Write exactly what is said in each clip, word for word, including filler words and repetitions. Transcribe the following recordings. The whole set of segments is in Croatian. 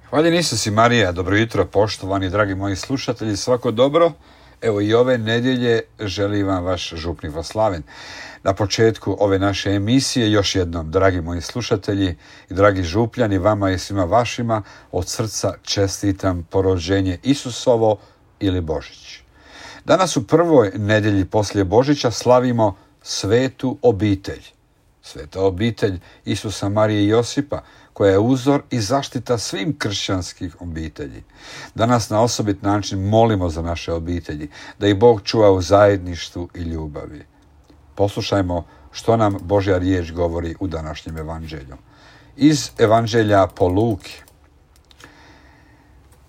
Hvaljen Isus i Marija, dobro jutro, poštovani dragi moji slušatelji, svako dobro. Evo i ove nedjelje želi vam vaš župnik Voslaven. Na početku ove naše emisije još jednom, dragi moji slušatelji i dragi župljani, vama i svima vašima od srca čestitam porođenje Isusovo ili Božić. Danas u prvoj nedjelji poslije Božića slavimo svetu obitelj. Sveta obitelj Isusa, Marije i Josipa, koja je uzor i zaštita svim kršćanskih obitelji. Danas na osobit način molimo za naše obitelji, da ih Bog čuva u zajedništvu i ljubavi. Poslušajmo što nam Božja riječ govori u današnjem evanđelju. Iz evanđelja po Luki.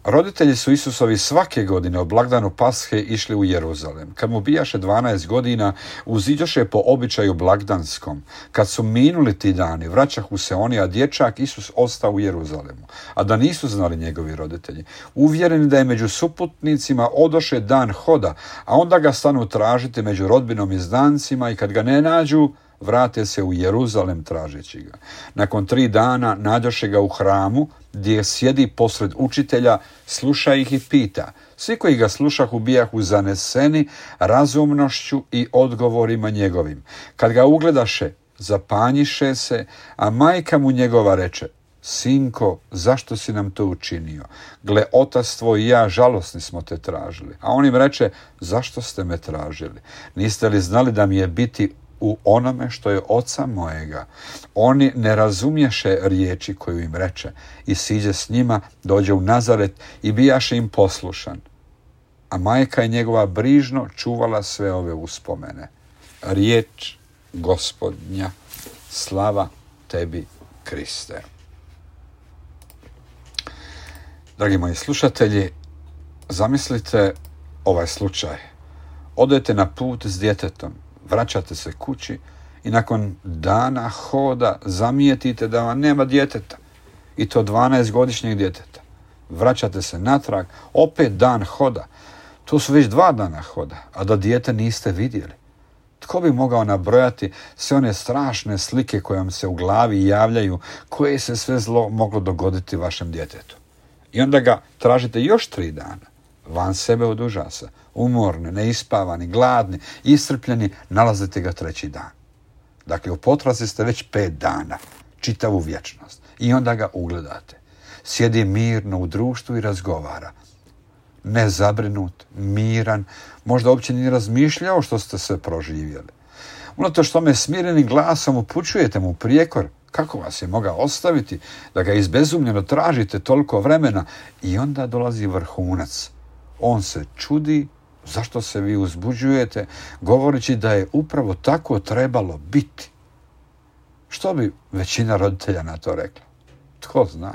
Roditelji su Isusovi svake godine o blagdanu Pashe išli u Jeruzalem. Kad mu bijaše dvanaest godina, uziđoše po običaju blagdanskom. Kad su minuli ti dani, vraćahu se oni, a dječak Isus ostao u Jeruzalemu. A da nisu znali njegovi roditelji. Uvjereni da je među suputnicima odoše dan hoda, a onda ga stanu tražiti među rodbinom i znancima i kad ga ne nađu, vrate se u Jeruzalem tražeći ga. Nakon tri dana nađoše ga u hramu, gdje sjedi posred učitelja, sluša ih i pita. Svi koji ga slušahu bijahu zaneseni razumnošću i odgovorima njegovim. Kad ga ugledaše, zapanjiše se, a majka mu njegova reče: Sinko, zašto si nam to učinio? Gle, otac tvoj i ja žalosni smo te tražili. A on im reče: Zašto ste me tražili? Niste li znali da mi je biti u onome što je oca mojega? Oni ne razumješe riječi koju im reče i siđe s njima, dođe u Nazaret i bijaše im poslušan. A majka je njegova brižno čuvala sve ove uspomene. Riječ Gospodnja, slava tebi, Kriste. Dragi moji slušatelji, zamislite ovaj slučaj. Odete na put s djetetom, vraćate se kući i nakon dana hoda zamijetite da vam nema djeteta, i to dvanaestogodišnjeg djeteta. Vraćate se natrag, opet dan hoda. To su već dva dana hoda, a da dijete niste vidjeli. Tko bi mogao nabrojati sve one strašne slike koje vam se u glavi javljaju, koje se sve zlo moglo dogoditi vašem djetetu? I onda ga tražite još tri dana. Van sebe od užasa, umorni, neispavani, gladni, iscrpljeni, nalazite ga treći dan. Dakle, u potrazi ste već pet dana, čitavu vječnost. I onda ga ugledate. Sjedi mirno u društvu i razgovara. Nezabrinut, miran, možda uopće ni razmišljao što ste sve proživjeli. Unatoč tome smirenim glasom upućujete mu prijekor kako vas je mogao ostaviti, da ga izbezumljeno tražite toliko vremena, i onda dolazi vrhunac. On se čudi zašto se vi uzbuđujete, govoreći da je upravo tako trebalo biti. Što bi većina roditelja na to rekla? Tko zna?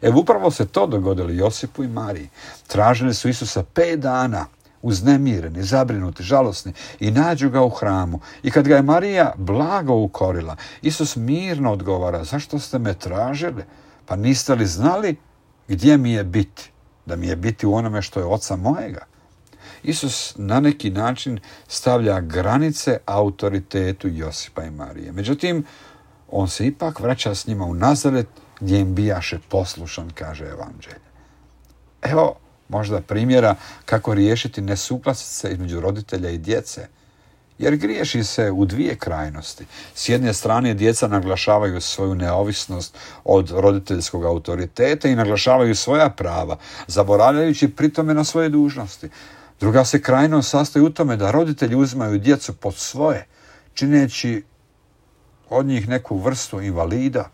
Evo, upravo se to dogodilo Josipu i Mariji. Tražili su Isusa pet dana, uznemireni, zabrinuti, žalosni, i nađu ga u hramu. I kad ga je Marija blago ukorila, Isus mirno odgovara: Zašto ste me tražili? Pa niste li znali gdje mi je biti? Da mi je biti u onome što je oca mojega? Isus na neki način stavlja granice autoritetu Josipa i Marije. Međutim, on se ipak vraća s njima u Nazaret, gdje im bijaše poslušan, kaže evanđelje. Evo možda primjera kako riješiti nesuglasice između roditelja i djece. Jer griješi se u dvije krajnosti. S jedne strane djeca naglašavaju svoju neovisnost od roditeljskog autoriteta i naglašavaju svoja prava, zaboravljajući pritome na svoje dužnosti. Druga se krajnost sastoji u tome da roditelji uzimaju djecu pod svoje, čineći od njih neku vrstu invalida.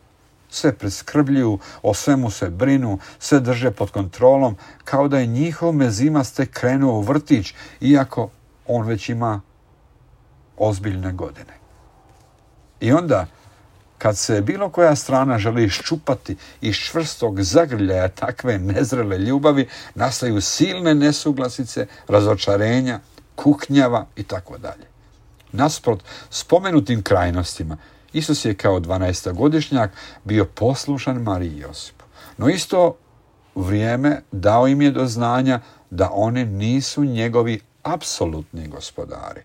Sve preskrbljuju, o svemu se brinu, sve drže pod kontrolom, kao da je njihov mezimac tek krenuo u vrtić, iako on već ima ozbiljne godine. I onda, kad se bilo koja strana želi iščupati iz čvrstog zagrljaja takve nezrele ljubavi, nastaju silne nesuglasice, razočarenja, kuknjava i tako dalje. Nasprot spomenutim krajnostima, Isus je kao dvanaestogodišnjak bio poslušan Mariji i Josipu. No isto vrijeme dao im je do znanja da oni nisu njegovi apsolutni gospodari.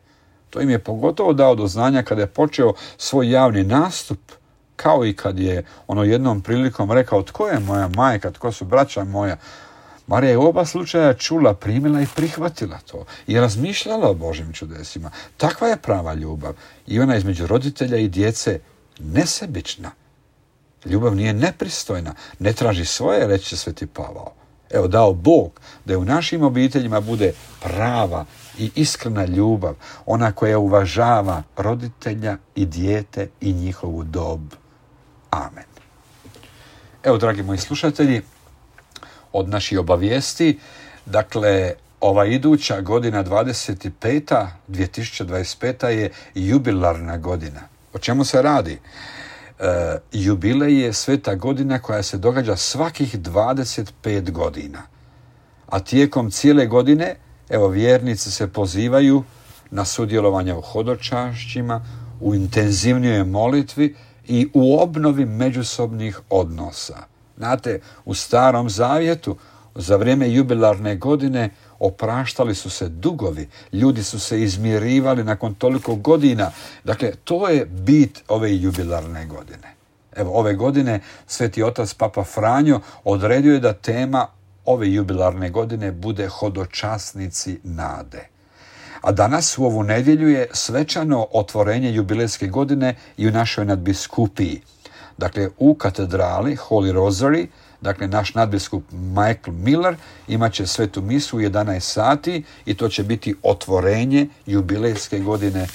To im je pogotovo dao do znanja kada je počeo svoj javni nastup kao i kad je ono jednom prilikom rekao tko je moja majka, tko su braća moja. Marija je u oba slučaja čula, primila i prihvatila to i razmišljala o Božim čudesima. Takva je prava ljubav i ona između roditelja i djece nesebična. Ljubav nije nepristojna, ne traži svoje, reći će Sveti Pavao. Evo, dao Bog da u našim obiteljima bude prava i iskrena ljubav, ona koja uvažava roditelja i dijete i njihovu dob. Amen. Evo, dragi moji slušatelji, od naših obavijesti, dakle, ova iduća godina dvadeset peta, dvije tisuće dvadeset peta je jubilarna godina. O čemu se radi? E, jubilej je sveta godina koja se događa svakih dvadeset pet godina. A tijekom cijele godine, evo, vjernici se pozivaju na sudjelovanje u hodočašćima, u intenzivnijoj molitvi i u obnovi međusobnih odnosa. Znate, u Starom Zavjetu za vrijeme jubilarne godine opraštali su se dugovi, ljudi su se izmirivali nakon toliko godina. Dakle, to je bit ove jubilarne godine. Evo, ove godine Sveti Otac Papa Franjo odredio je da tema ove jubilarne godine bude hodočasnici nade. A danas u ovu nedjelju je svečano otvorenje jubilejske godine i u našoj nadbiskupiji. Dakle, u katedrali Holy Rosary, dakle, naš nadbiskup Michael Miller imat će svetu misu u jedanaest sati i to će biti otvorenje jubilejske godine e,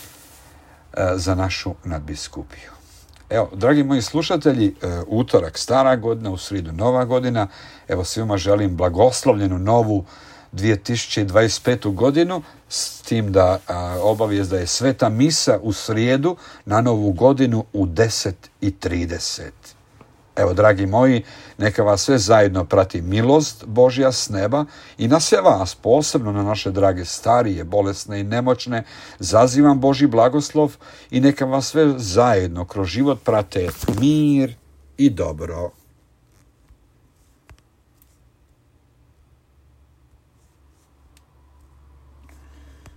za našu nadbiskupiju. Evo, dragi moji slušatelji, e, utorak stara godina, u sridu nova godina. Evo, svima želim blagoslovljenu novu dvije tisuće dvadeset petu godinu, s tim da a, obavijest da je sveta misa u srijedu na novu godinu u deset i trideset. Evo, dragi moji, neka vas sve zajedno prati milost Božja s neba i na sve vas, posebno na naše drage starije, bolesne i nemoćne, zazivam Božji blagoslov i neka vas sve zajedno kroz život prate mir i dobro.